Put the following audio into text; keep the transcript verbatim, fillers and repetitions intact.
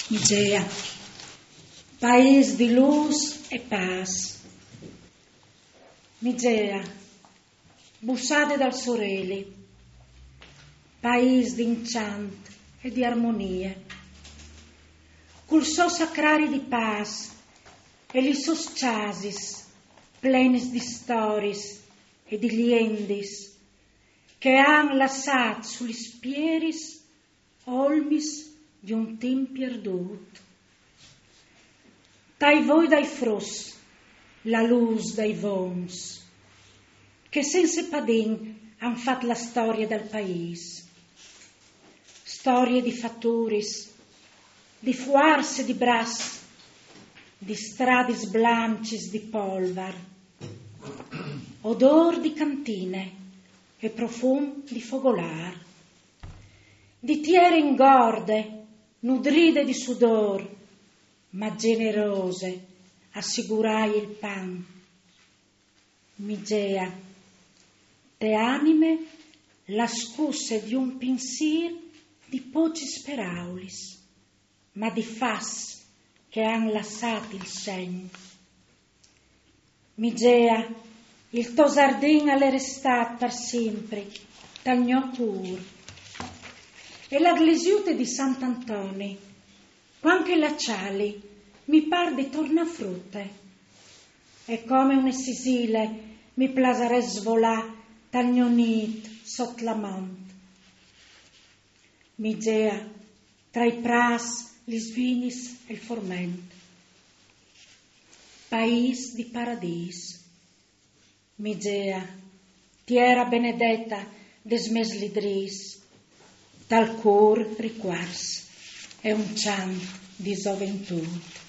Migea, paîs di lûs e pâs. Migea, bussade dal soreli, paîs di incjant e di armonie, cul so sacrari di pâs e lis sôs cjasis plenis di storiis e di liendis che a àn lassât su lis pieris olmis di un timp pierdût. Tai voi dai fruts, la lûs dai vons, che sense padin a àn fat la storie dal paîs. Storie di faturis, di fuarce di braç, di stradis blancjis di polvar, odôr di cantine e profum di fogolâr, di tiere ingorde, nudride di sudôr, ma gjenerose a sigurâi il pan. Migea, te anime la scusse di un pinsîr di pocjis peraulis, ma di fats che a àn lassât il segn. Migea, il to zardin al è restât par simpri tal gno cûr. E la glesiute di Sant Antoni, cuant che la cjali, mi pâr di tornâ frute. E come une sisile mi plasarès svolâ tal gno nît sot la mont. Migea, tra i prâts, lis vignis e il forment. Paîs di paradîs. Migea, tiere benedete des mês lidrîs, tal cûr ricuarts e un cjant di zoventût.